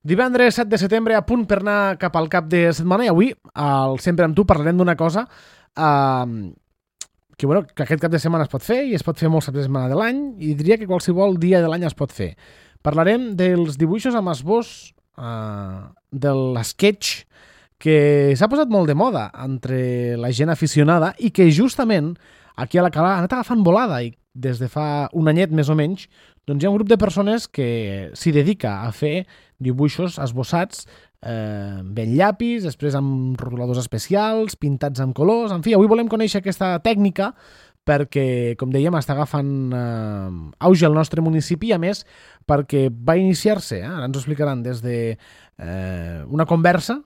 Divendres 7 de setembre, a punt per anar cap al cap de setmana, i avui, al Sempre amb tu, parlarem d'una cosa que aquest cap de setmana es pot fer, i es pot fer molts caps de setmana de l'any, i diria que qualsevol dia de l'any es pot fer. Parlarem dels dibuixos amb esbós de l'sketch, que s'ha posat molt de moda entre la gent aficionada i que justament aquí a la Cala ha anat agafant volada, i des de fa un anyet més o menys doncs hi ha un grup de persones que s'hi dedica a fer dibuixos esbossats ben llapis, després amb rotuladors especials, pintats amb colors. En fi, avui volem conèixer aquesta tècnica perquè, com dèiem, està agafant auge al nostre municipi, i a més perquè va iniciar-se, ara ens ho explicaran, des de una conversa.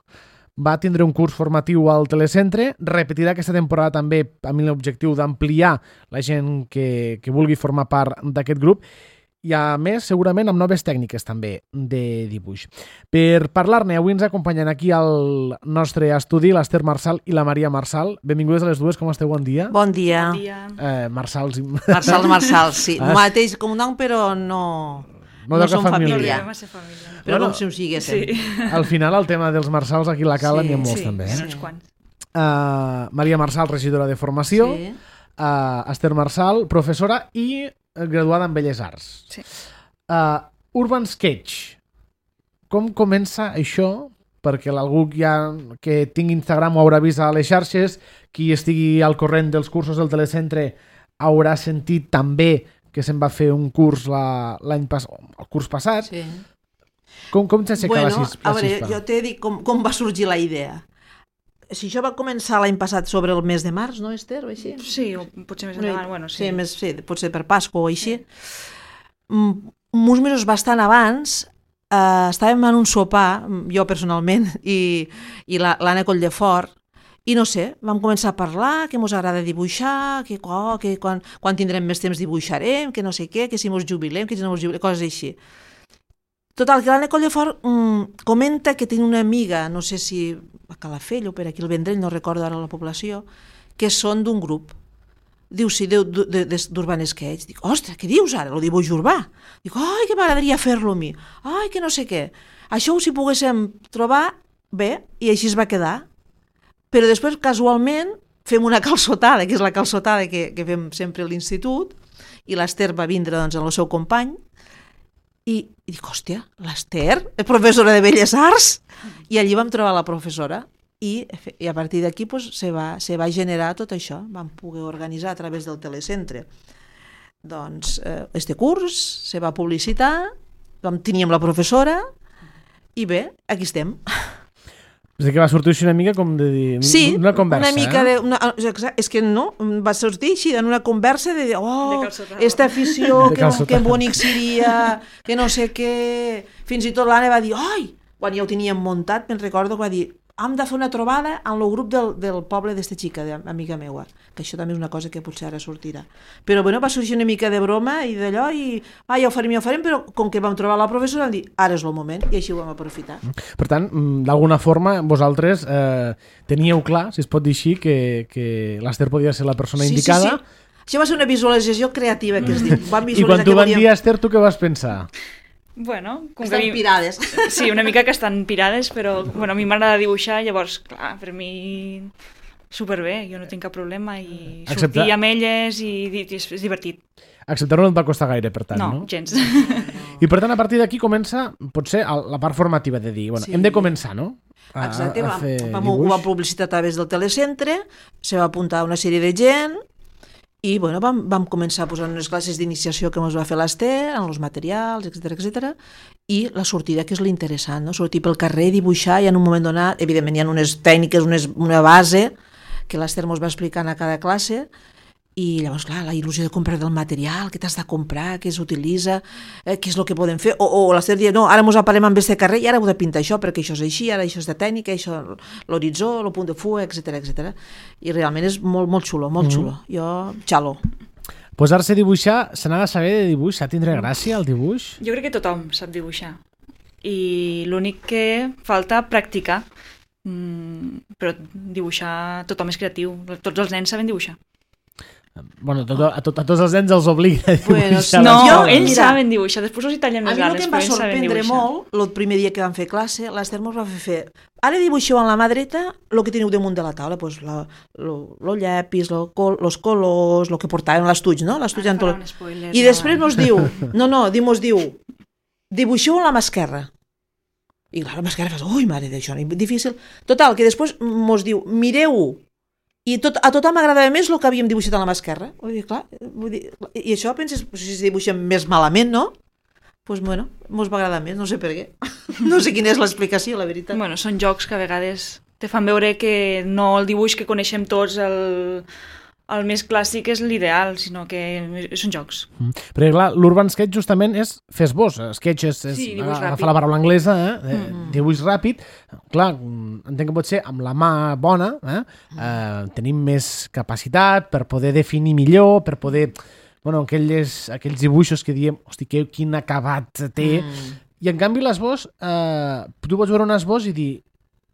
Va tindre un curs formatiu al Telecentre, repetirà aquesta temporada també amb l'objectiu d'ampliar la gent que vulgui formar part d'aquest grup, i a més segurament amb noves tècniques també de dibuix. Per parlar-ne, avui ens acompanyen aquí al nostre estudi l'Ester Marsal i la Maria Marsal. Benvingudes a les dues, com esteu? Bon dia. Bon dia. Bon dia. Marsals, sí. Mateix com un nom, però no som família. Però com si ho siguéssim. Sí. Al final el tema dels Marsals aquí a la Cala n'hi ha molts també. Sí, uns quants. Maria Marsal, regidora de formació. Sí. Esther Marsal, professora i graduada en Belles Arts. Sí. Urban Sketch. Com comença això? Perquè algú que tingui Instagram ho haurà vist a les xarxes, qui estigui al corrent dels cursos del Telecentre haurà sentit també que se'n va fer un curs el curs passat. Sí. Com s'aixeca la xispa? A veure, jo t'he dit com va sorgir la idea. Si això va començar l'any passat sobre el mes de març, no, Esther, o així? Sí, o potser més endavant, bueno, sí. Sí, potser per Pasqua o així. Uns mesos bastant abans estàvem en un sopar, jo personalment, i l'Anna Colldefort, i no sé, vam començar a parlar que mos agrada dibuixar, que quan tindrem més temps dibuixarem, que no sé què, que si mos jubilem, que si no mos jubilem, coses així. Total, que l'Anna Colldefort comenta que té una amiga, no sé si a Calafell o per aquí al Vendrell, no recordo ara la població, que són d'un grup. Diu, sí, d'Urban Sketch. Dic, ostres, què dius ara? Lo dibuix urbà. Dic, ai, que m'agradaria fer-lo a mi. Ai, que no sé què. Això, si poguéssim trobar, bé, i així es va quedar. Però després, casualment, fem una calçotada, que és la calçotada que fem sempre a l'institut, i l'Ester va vindre doncs, amb el seu company, i dic, hòstia, l'Ester, professora de Belles Arts, i allí vam trobar la professora, i a partir d'aquí pues, se va generar tot això. Vam poder organitzar a través del Telecentre doncs, este curs, se va publicitar, teníem la professora, i bé, aquí estem. És que va sortir així una mica com de dir... Sí, una conversa, una mica és que no, va sortir així en una conversa de dir, esta afició, que bonic seria, que no sé què... Fins i tot l'Anna va dir, ai, quan ja ho teníem muntat, me'n recordo que va dir, hem de fer una trobada amb el grup del poble d'esta xica, d'amiga meua, que això també és una cosa que potser ara sortirà. Però bueno, va sorgir una mica de broma i d'allò, i ja ho farem, però com que vam trobar la professora vam dir, ara és el moment, i així ho vam aprofitar. Per tant, d'alguna forma, vosaltres teníeu clar, si es pot dir així, que l'Ester podia ser la persona indicada. Sí. Això va ser una visualització creativa, que es diu. I quan t'ho van dir, Esther, tu què vas pensar? Bueno, estan pirades. Sí, una mica que estan pirades, però bueno, a mi m'agrada dibuixar, llavors, clar, per mi superbé, jo no tinc cap problema, i sortir amb elles i és divertit. Acceptar-ho no et va costar gaire, per tant, no? No, gens. I per tant, a partir d'aquí comença, potser, la part formativa de dir, bueno, hem de començar, no? Exacte, ho vam publicitar a través del Telecentre, se va apuntar una sèrie de gent, i bueno, vam començar a posar unes classes d'iniciació que ens va fer l'Ester, en els materials, etc. I la sortida, que és l'interessant, no? Sortir pel carrer, dibuixar, i en un moment donat, evidentment hi ha unes tècniques, una base, que l'Ester ens va explicant a cada classe, i llavors, clar, la il·lusió de comprar del material, què t'has de comprar, què s'utilitza, què és el que podem fer, o l'Ester diu, no, ara ens aparem amb este carrer i ara heu de pintar això, perquè això és així, ara això és de tècnica, això l'horitzó, el punt de fuga, etc. I realment és molt, molt xulo, molt xulo. Jo, xalo. Posar-se a dibuixar, se n'ha de saber de dibuix, s'ha de tindre gràcia el dibuix? Jo crec que tothom sap dibuixar, i l'únic que falta practicar, però dibuixar tothom és creatiu, tots els nens saben dibuixar. Bueno, a tots els nens els obliga a dibuixar. No, ells saben dibuixar, després els hi tallen les ales, però ells saben dibuixar. A mi el que em va sorprendre molt, el primer dia que vam fer classe, l'Ester mos va fer, ara dibuixeu amb la mà dreta el que teniu damunt de la taula, doncs el llapis, els colors, el que portàvem, l'estuig, no? L'estuig en tot. I després mos diu, dibuixeu amb la mà esquerra. I clar, la mà esquerra fas, ui, mare d'això, difícil. Total, que després mos diu, mireu-ho. I a tothom m'agradava més el que havíem dibuixat a la mà esquerra. I això penses, si es dibuixen més malament, no? Doncs bueno, mos va agradar més, no sé per què. No sé quina és l'explicació, la veritat. Bueno, són jocs que a vegades te fan veure que no el dibuix que coneixem tots, el més clàssic és l'ideal, sinó que són jocs. Perquè clar, l'Urban Sketch justament és fer esbós. Sketch és agafar la paraula anglesa, dibuix ràpid. Clar, entenc que pot ser amb la mà bona, tenim més capacitat per poder definir millor, per poder... Bueno, aquells dibuixos que diem, hosti, quin acabat té. I en canvi l'esbós, tu pots veure un esbós i dir,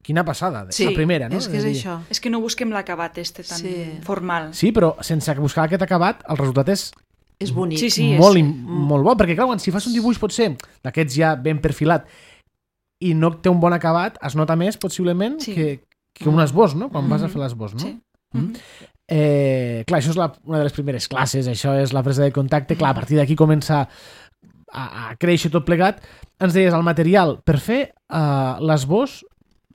quina passada, la primera, no? És que és això. És que no busquem l'acabat tan formal. Sí, però sense buscar aquest acabat, el resultat és bonic. Molt bo, perquè clar, si fas un dibuix pot ser d'aquests ja ben perfilat i no té un bon acabat, es nota més possiblement que un esbós, no? Quan vas a fer l'esbós, no? Sí. Clar, això és una de les primeres classes, això és la presa de contacte, clar, a partir d'aquí comença a créixer tot plegat. Ens deies, el material per fer l'esbós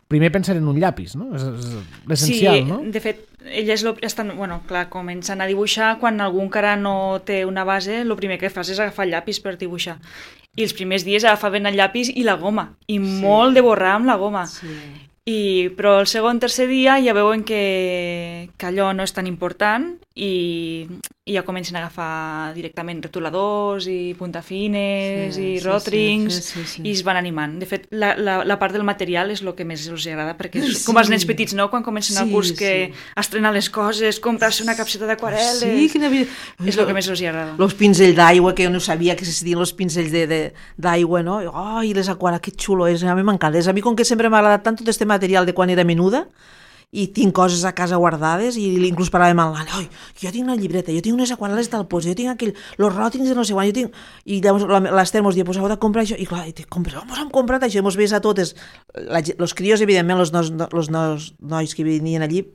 primer pensar en un llapis, no? És l'essencial, no? Sí, de fet, elles comencen a dibuixar quan algú encara no té una base, el primer que fas és agafar el llapis per dibuixar. I els primers dies agafaven el llapis i la goma, i molt de borrar amb la goma. Però el segon, tercer dia ja veuen que allò no és tan important i ja comencen a agafar directament retoladors i puntafines i rotrings i es van animant. De fet, la part del material és el que més els agrada, perquè és com els nens petits, no? Quan comencen el curs que estrenen les coses, comprar-se una capseta d'aquarel·les... És el que més els agrada. Els pinzells d'aigua, que jo no sabia que es dien els pinzells d'aigua, no? I les aquarel·les, que xulo és, a mi m'encanta. A mi, com que sempre m'ha agradat tant tot este material de quan era menuda, i tinc coses a casa guardades i inclús parlàvem amb l'Anna, jo tinc una llibreta, jo tinc unes aquarel·les del Pons, jo tinc els ròtings de no sé quan, i llavors l'Ester mos diu, pues heu de comprar això, i clar, mos hem comprat això, i mos veus a totes, els crios, evidentment, els nois que venien allí,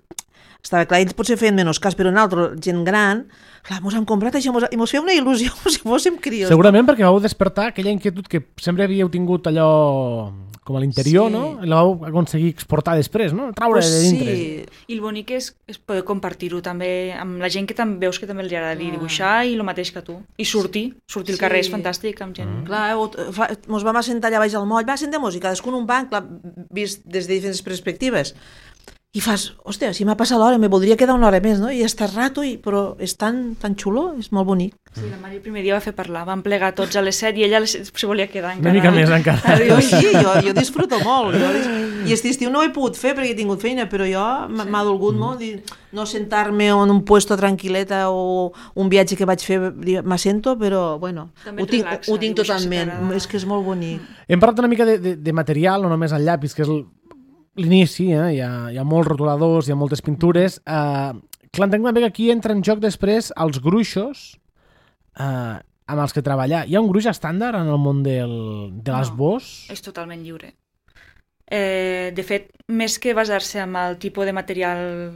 estava clar, ells potser feien menys cas, però nosaltres, gent gran, clar, mos hem comprat això, i mos feia una il·lusió com si fóssim crios. Segurament perquè vau despertar aquella inquietud que sempre havíeu tingut allò com a l'interior, no? I la vau aconseguir exportar després, no? Traure de dintre. I el bonic és poder compartir-ho també amb la gent que també veus que també li agrada dibuixar i el mateix que tu. I sortir al carrer és fantàstic amb gent. Clar, mos vam assentar allà baix al moll, va, sentem música, cadascun un banc, clar, vist des de diferents perspectives. I fas, hòstia, si m'ha passat l'hora, me voldria quedar una hora més, no? I estar rato, però és tan xulo, és molt bonic. Sí, la Mari el primer dia va fer parlar, van plegar tots a les 7 i ella se volia quedar encara. Una mica més encara. Jo disfruto molt. I aquest estiu no ho he pogut fer perquè he tingut feina, però jo m'ha dolgut molt no sentar-me en un puesto tranquil·leta o un viatge que vaig fer, m'assento, però bueno, ho tinc totalment. És que és molt bonic. Hem parlat una mica de material, no només el llapis, que és l'inici, hi ha molts rotuladors, hi ha moltes pintures. Clar, entenc també que aquí entra en joc després els gruixos amb els que treballar. Hi ha un gruix estàndard en el món de l'esbós? No, és totalment lliure. De fet, més que basar-se en el tipus de material,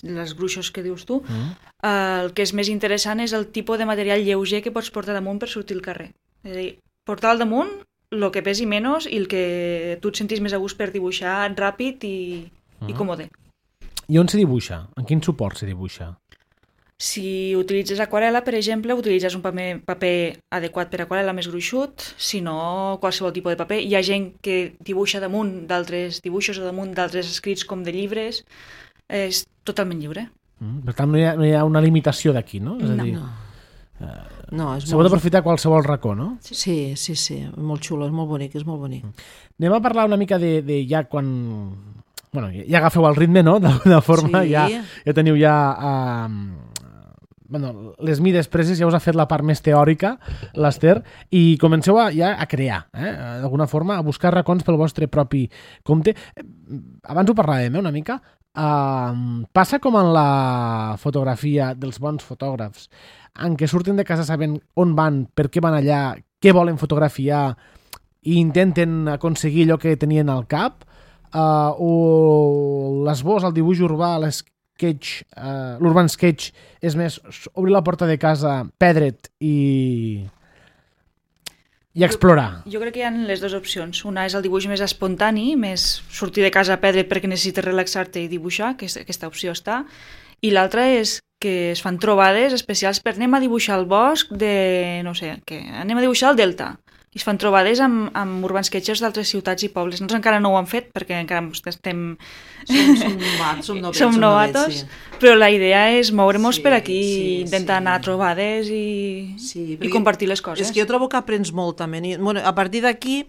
els gruixos que dius tu, el que és més interessant és el tipus de material lleuger que pots portar damunt per sortir al carrer. És a dir, portar al damunt el que pesi menys i el que tu et sentis més a gust per dibuixar ràpid i còmode. I on se dibuixa? En quin suport se dibuixa? Si utilitzes aquarel·la, per exemple, utilitzes un paper adequat per aquarel·la més gruixut, si no, qualsevol tipus de paper. Hi ha gent que dibuixa damunt d'altres dibuixos o damunt d'altres escrits com de llibres. És totalment lliure. Per tant, no hi ha una limitació d'aquí, no? És a dir, se pot aprofitar qualsevol racó, no? Sí, molt xulo, és molt bonic, Anem a parlar una mica de ja quan... Bueno, ja agafeu el ritme, no? D'alguna forma, ja teniu ja... les mides preses, ja us ha fet la part més teòrica, l'Ester, i comenceu ja a crear, d'alguna forma, a buscar racons pel vostre propi compte. Abans ho parlàvem, una mica. Passa com en la fotografia dels bons fotògrafs, en què surten de casa sabent on van, per què van allà, què volen fotografiar i intenten aconseguir allò que tenien al cap, o l'esbós, el dibuix urbà, l'urban sketch és més obrir la porta de casa, perdre't i explorar. Jo crec que hi ha les dues opcions. Una és el dibuix més espontani, més sortir de casa a perdre't perquè necessites relaxar-te i dibuixar, que aquesta opció està, i l'altra és que es fan trobades especials per anem a dibuixar el bosc de, no sé, que anem a dibuixar el delta. I es fan trobades amb urban sketchers d'altres ciutats i pobles. Nosaltres encara no ho hem fet perquè encara estem... Som novatos, sí. Però la idea és moure-nos per aquí, intentar anar a trobades i compartir les coses. És que jo trobo que aprens molt també. Bueno, a partir d'aquí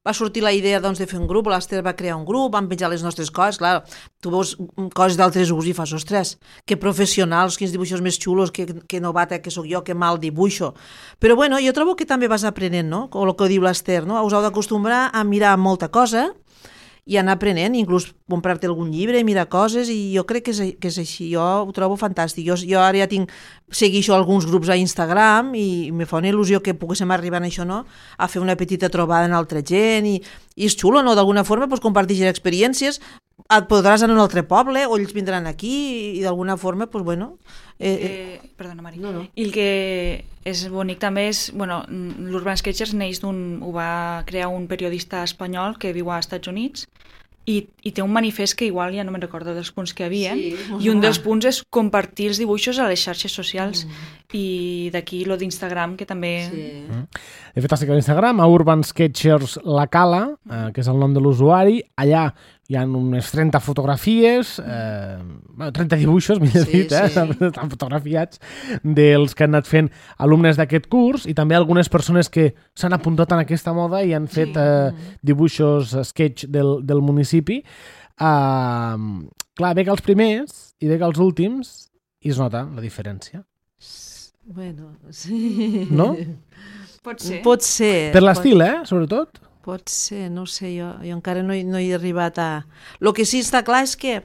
va sortir la idea doncs, de fer un grup, l'Ester va crear un grup, vam penjar les nostres coses, clar, tu veus coses d'altres grups i fas, ostres, que professionals, quins dibuixos més xulos, que novata que sóc jo, que mal dibuixo. Però bueno, jo trobo que també vas aprenent, no? Com el que diu l'Ester, no? Us heu d'acostumbrar a mirar molta cosa i anar aprenent, inclús comprar-te algun llibre, mirar coses, i jo crec que és així, jo ho trobo fantàstic. Jo ara ja segueixo alguns grups a Instagram i me fa una il·lusió que poguéssim arribar a això, no? A fer una petita trobada amb altra gent, i és xulo, no? D'alguna forma pues, compartir experiències, et podràs anar a un altre poble o ells vindran aquí i d'alguna forma, pues, bueno... Perdona, Mari. No. I el que és bonic també és... Bueno, l'Urban Sketchers ho va crear un periodista espanyol que viu als Estats Units i té un manifest que igual ja no me'n recordo dels punts que hi havia, i un dels punts és compartir els dibuixos a les xarxes socials, i d'aquí lo d'Instagram, que també... He fet a l'Instagram, a Urban Sketchers La Cala, que és el nom de l'usuari. Allà hi ha unes 30 fotografies, 30 dibuixos, millor dit, estan fotografiats, dels que han anat fent alumnes d'aquest curs, i també algunes persones que s'han apuntat en aquesta moda i han fet dibuixos sketch del municipi. Clar, ve que els primers i ve que els últims i es nota la diferència. Bueno, sí. No? Pot ser. Per l'estil, sobretot? Pot ser, no sé, jo encara no he arribat a... El que sí està clar és que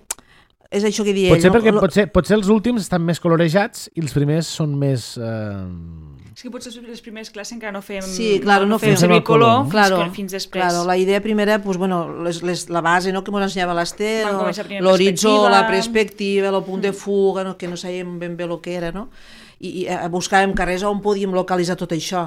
és això que deia ell. Potser els últims estan més colorejats i els primers són més... És que potser les primers classes encara no fem, no fem servir color fins després. Claro, la idea primera, pues, bueno, la base, no, que ens ensenyava l'Ester, l'horitzó, la perspectiva, el punt de fuga, no, que no sabíem ben bé el que era, no? I buscàvem carrers on podíem localitzar tot això,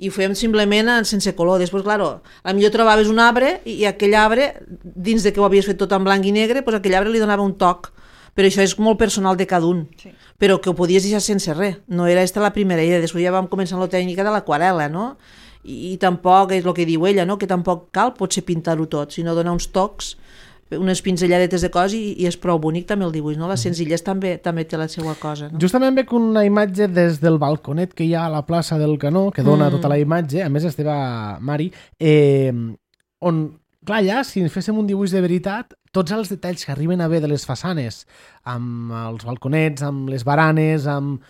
i ho fèiem simplement sense color. Després, potser trobaves un arbre i aquell arbre, dins de que ho havies fet tot en blanc i negre, pues aquell arbre li donava un toc, però això és molt personal de cada un, però que ho podies deixar sense res, no era aquesta la primera idea. Després ja vam començar la tècnica de l'aquarel·la, no? I tampoc és el que diu ella, no? Que tampoc cal potser pintar-ho tot, sinó donar uns tocs, unes pinzelladetes de cos, i és prou bonic també el dibuix, no? La senzillesa també té la seva cosa, no? Justament veig una imatge des del balconet que hi ha a la plaça del Canó, que dona tota la imatge, a més estava Mari, on, clar, allà, si féssim un dibuix de veritat, tots els detalls que arriben a ver de les façanes, amb els balconets, amb les baranes, amb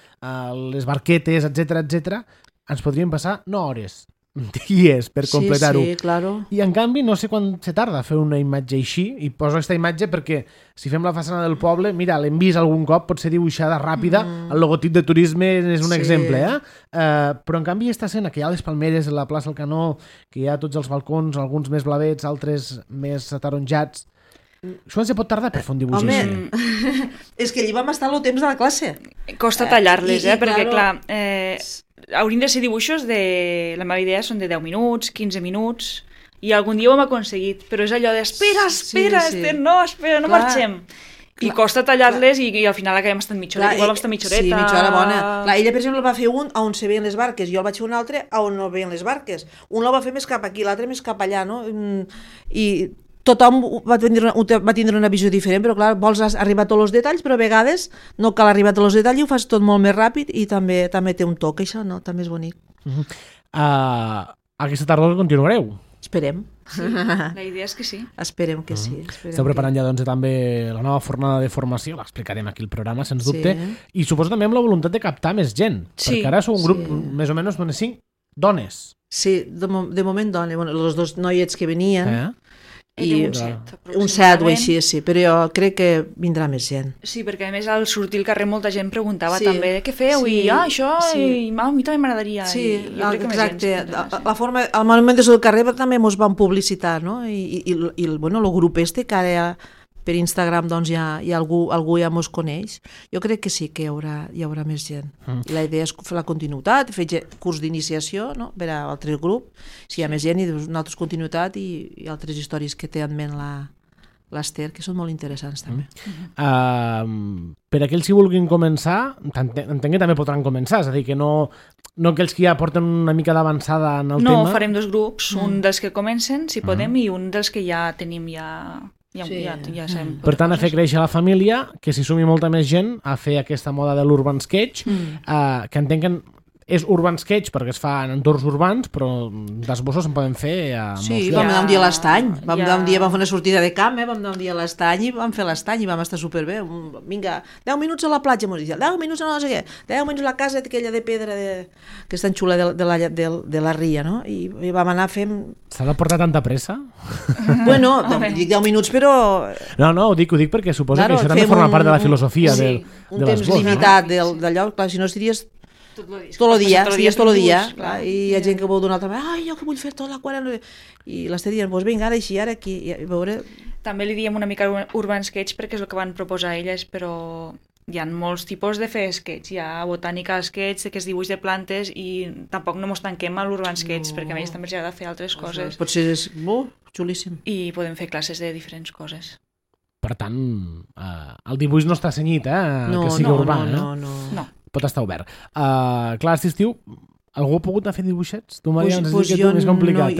les barquetes, etc, ens podrien passar 9 hores, dies per completar-ho. Sí, claro. I en canvi no sé quan se tarda a fer una imatge així, i poso aquesta imatge perquè si fem la façana del poble, mira, l'hem vist algun cop, pot ser dibuixada ràpida, el logotip de turisme és un exemple, però en canvi aquesta escena que hi ha les palmeres a la plaça del Canó, que hi ha tots els balcons, alguns més blavets, altres més ataronjats, això se pot tardar per fer un dibuix així. És que allí vam estar el temps de la classe. Costa tallar-les, perquè clar... haurien de ser dibuixos de... La meva idea són de 10 minuts, 15 minuts, i algun dia ho hem aconseguit, però és allò de espera, Esther, no marxem. I costa tallar-les i al final acabem estant mitja horeta. Igual vam estar mitja horeta. Sí, mitja hora bona. Ella, per exemple, va fer un on se veien les barques, jo el vaig fer un altre on no veien les barques. Un el va fer més cap aquí, l'altre més cap allà, no? I tothom va tindre una visió diferent, però clar, vols arribar a tots els detalls, però a vegades no cal arribar a tots els detalls i ho fas tot molt més ràpid i també té un toc, això, no? També és bonic. Aquesta tardor continuareu? Esperem. Sí, la idea és que sí. Esperem que sí. Esteu preparant ja doncs, també la nova fornada de formació, l'explicarem aquí al programa, sens dubte, i suposo també amb la voluntat de captar més gent, perquè ara sou un grup més o menys 5 dones. Sí, de moment dones. Bueno, els 2 noiets que venien... I un 7, un 7 o així, sí, però jo crec que vindrà més gent. Sí, perquè a més al sortir al carrer molta gent preguntava Sí, també què feu sí, i això, sí. i a mi també m'agradaria. Sí, I jo crec que més gent exacte. La forma, al moment del carrer també ens van publicitar, no? I bueno, el grup que ara per Instagram doncs ja algú ja mos coneix. Jo crec que sí que hi haurà més gent. I la idea és fer la continuïtat, fer curs d'iniciació, no? Per a altre grup, si hi ha més gent, i una altra continuïtat i altres històries que té en ment l'Ester, que són molt interessants també. Per aquells que vulguin començar, entenc que també podran començar, és a dir, que no aquells que ja porten una mica d'avançada en el tema. No, farem 2 grups, un dels que comencen, si podem, i un dels que ja tenim ja sabem. Per tant, a fer créixer la família, que s'hi sumi molta més gent a fer aquesta moda de l'Urban Sketch, que entenc que és Urban Sketch perquè es fa en entorns urbans, però d'esbossos en poden fer a molts llocs. Sí, vam anar un dia a l'Estany, vam fer una sortida de camp, vam anar un dia a l'Estany i vam fer l'Estany i vam estar superbé. Vinga, 10 minuts a la platja, 10 minuts a no sé què, 10 minuts a la casa aquella de pedra que és tan xula de la ria, no? I vam anar fent... S'ha de portar tanta pressa? Bueno, dic 10 minuts, però... No, ho dic perquè suposa que això també forma part de la filosofia de un temps limitat d'allò, clar, si no estaries tot el dia, i hi ha gent que vol donar també, jo que vull fer tota la quadra, i l'està dient, doncs vinga, ara així, ara aquí, i a veure... També li diem una mica Urban Sketch perquè és el que van proposar elles, però hi ha molts tipus de fer sketch, hi ha botànica sketch, que és dibuix de plantes, i tampoc no ens tanquem a l'Urban Sketch, perquè a ells també els agrada fer altres coses. Potser és xulíssim. I podem fer classes de diferents coses. Per tant, el dibuix no està cenyit, que sigui urbà. No. Pot estar obert. Clar, aquest estiu, algú ha pogut anar a fer dibuixets? Tu, Maria, ens has dit que és més complicat,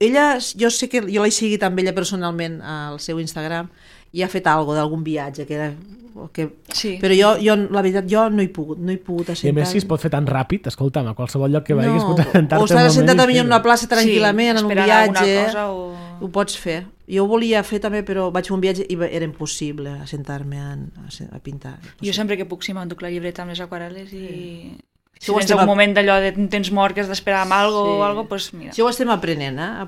Ella, jo sé que jo l'he seguit amb ella personalment al seu Instagram i ha fet d'algun viatge que era... Sí. Però jo, la veritat, jo no he pogut assentar. I a més, si es pot fer tan ràpid, escolta'm, a qualsevol lloc que vagis pot assentar-te o estàs assentat en una plaça tranquil·lament, en un viatge, ho pots fer. Jo ho volia fer també, però vaig fer un viatge i era impossible assentar-me a pintar. Jo sempre que puc sí m'enduc la llibreta amb les aquarel·les i... Si tens un moment d'allò de temps mort que has d'esperar amb alguna cosa, doncs mira. Això ho estem aprenent, a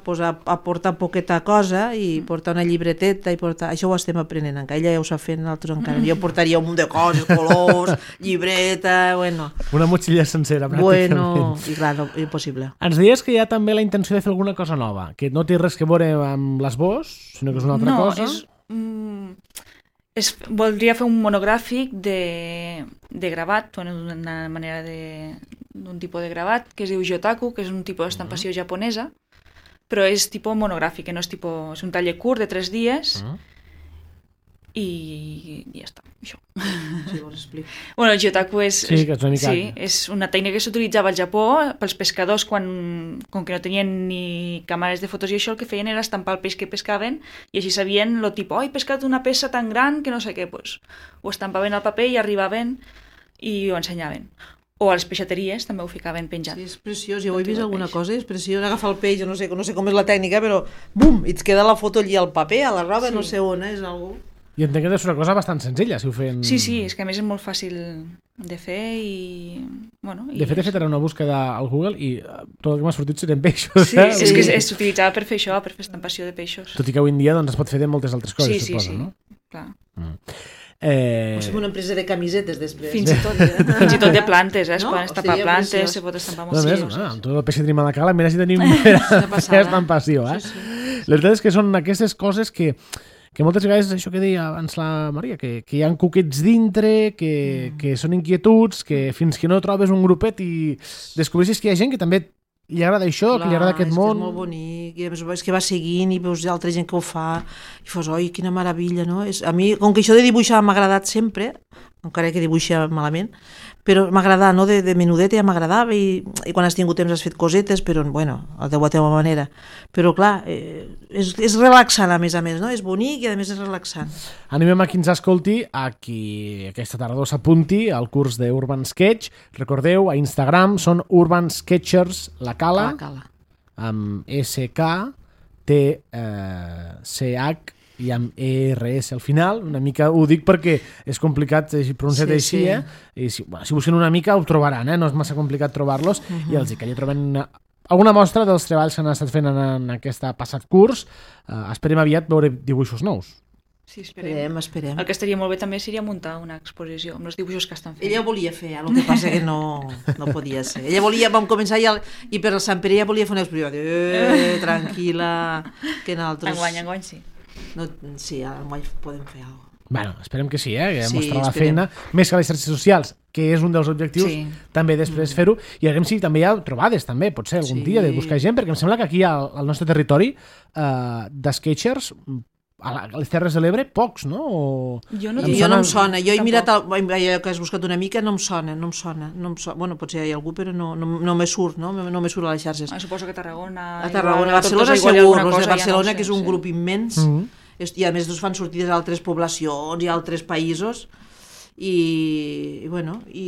portar poqueta cosa i portar una llibreteta i portar... Això ho estem aprenent encara. Ella ja ho sap fer, nosaltres encara. Jo portaria un munt de coses, colors, llibreta, bueno... Una motxilla sencera, pràcticament. Bueno, i clar, no, impossible. Ens deies que hi ha també la intenció de fer alguna cosa nova, que no té res que veure amb l'esbós, sinó que és una altra cosa. Voldria fer un monogràfic de gravat, d'una manera d'un tipus de gravat que es diu Jotaku, que és un tipus d'estampació japonesa, però és tipus monogràfic, no és tipus, és un taller curt de 3 dies i ja està, això. Sí, vols explicar? Bueno, el Jotaku és una tècnica que s'utilitzava al Japó pels pescadors com que no tenien ni càmeres de fotos i això, el que feien era estampar el peix que pescaven i així sabien lo tipus, he pescat una peça tan gran que no sé què, pues, ho estampaven al paper i arribaven i ho ensenyaven. O a les peixateries també ho ficaven penjat. Sí, és preciós, jo ho he vist alguna cosa, és preciós agafar el peix, no sé com és la tècnica, però bum, i et queda la foto allí al paper, a la roba, no sé on, és algú... I entenc que és una cosa bastant senzilla, si ho fem... Sí, és que a més és molt fàcil de fer i... Bueno, de fet, he fet ara una búsqueda al Google i tot el que m'ha sortit serien peixos. Sí, és que s'utilitzava per fer això, per fer estampació de peixos. Tot i que avui en dia es pot fer de moltes altres coses, suposo, no? Clar. O sigui, una empresa de camisetes després. Fins i tot de plantes, es poden estampar plantes, se pot estampar molts coses. Amb tot el peix de Trimalacala, mira si tenim estampació. La veritat és que són aquestes coses que moltes vegades, això que deia abans la Maria, que hi ha cuquets dintre, que són inquietuds, que fins que no trobes un grupet i descobreixes que hi ha gent que també li agrada això, que li agrada aquest món. És molt bonic, i a més és que va seguint i veus altra gent que ho fa i fos, oi, quina meravella, no? A mi, com que això de dibuixar m'ha agradat sempre, encara que dibuixa malament, però m'ha agradat, no? De menudeta ja m'agradava i quan has tingut temps has fet cosetes, però, bueno, a la teva manera. Però, clar, és relaxant, a més, no? És bonic i, a més, és relaxant. Animem a qui ens escolti, a qui aquesta tardor s'apunti al curs d'Urban Sketch. Recordeu, a Instagram són Urban Sketchers La Cala, amb SKTCH i amb ERS al final. Una mica ho dic perquè és complicat pronunciar així, i si busquen una mica ho trobaran, no és massa complicat trobar-los, i els dic que allà troben alguna mostra dels treballs que han estat fent en aquest passat curs. Esperem aviat veure dibuixos nous. Sí, esperem. El que estaria molt bé també seria muntar una exposició amb els dibuixos que estan fent. Ella volia fer, el que passa que no podia ser. Ella volia, vam començar i per el Sant Pere ella volia fer una exposició. Tranquil·la, que nosaltres... Enguany, sí. No, sí, enguany podem fer alguna cosa. Bueno, esperem que sí, que Sí, mostrar la esperem. feina, més que les xarxes socials, que és un dels objectius, també després fer-ho, i a veure si també hi ha trobades, també, potser algun dia, de buscar gent, perquè em sembla que aquí al nostre territori de sketchers, a les Terres de l'Ebre, pocs, no? Jo no em sona. Jo he tampoc. mirat, allò que has buscat una mica, no em sona. Bueno, potser hi ha algú, però no me surt, no me surt a les xarxes. Suposo que a Tarragona... A Tarragona, Barcelona segur, els de Barcelona, que és un grup immens, i a més fan sortides a altres poblacions i a altres països, i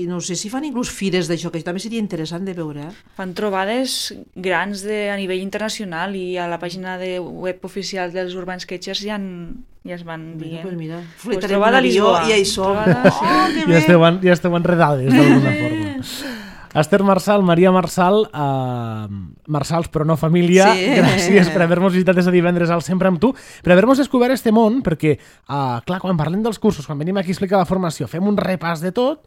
no sé si fan inclús fires d'això, que també seria interessant de veure. Fan trobades grans a nivell internacional i a la pàgina de web oficial dels Urban Sketchers ja es van dient. Pues mira, fletarem un avió i ja hi som. Que bé! Ja esteu enredades d'alguna forma. Esther Marsal, Maria Marsal, Marsals però no família, gràcies per haver-nos visitat des de divendres al Sempre amb tu, per haver-nos descobert este món, perquè, clar, quan parlem dels cursos, quan venim aquí a explicar la formació, fem un repàs de tot,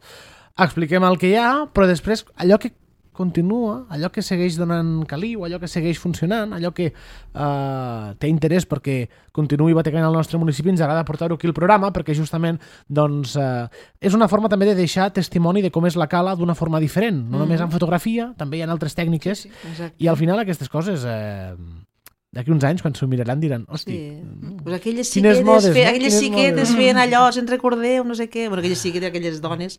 expliquem el que hi ha, però després allò que continua, allò que segueix donant caliu, allò que segueix funcionant, allò que té interès perquè continuï batecant al nostre municipi, ens agrada portar-ho aquí al programa perquè justament doncs, és una forma també de deixar testimoni de com és la cala d'una forma diferent, no només en fotografia, també hi ha altres tècniques, i al final aquestes coses d'aquí uns anys quan s'ho miraran diran hosti, pues aquelles xiquetes feien allò, se'n recordeu, no sé què, aquelles xiquetes, aquelles dones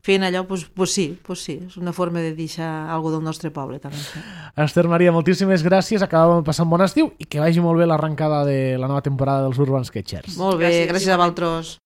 feien allò, pues sí, és una forma de deixar alguna del nostre poble també. Esther Maria, moltíssimes gràcies, acabàvem de passar un bon estiu i que vagi molt bé l'arrencada de la nova temporada dels Urban Sketchers. Molt bé, gràcies a vosaltres.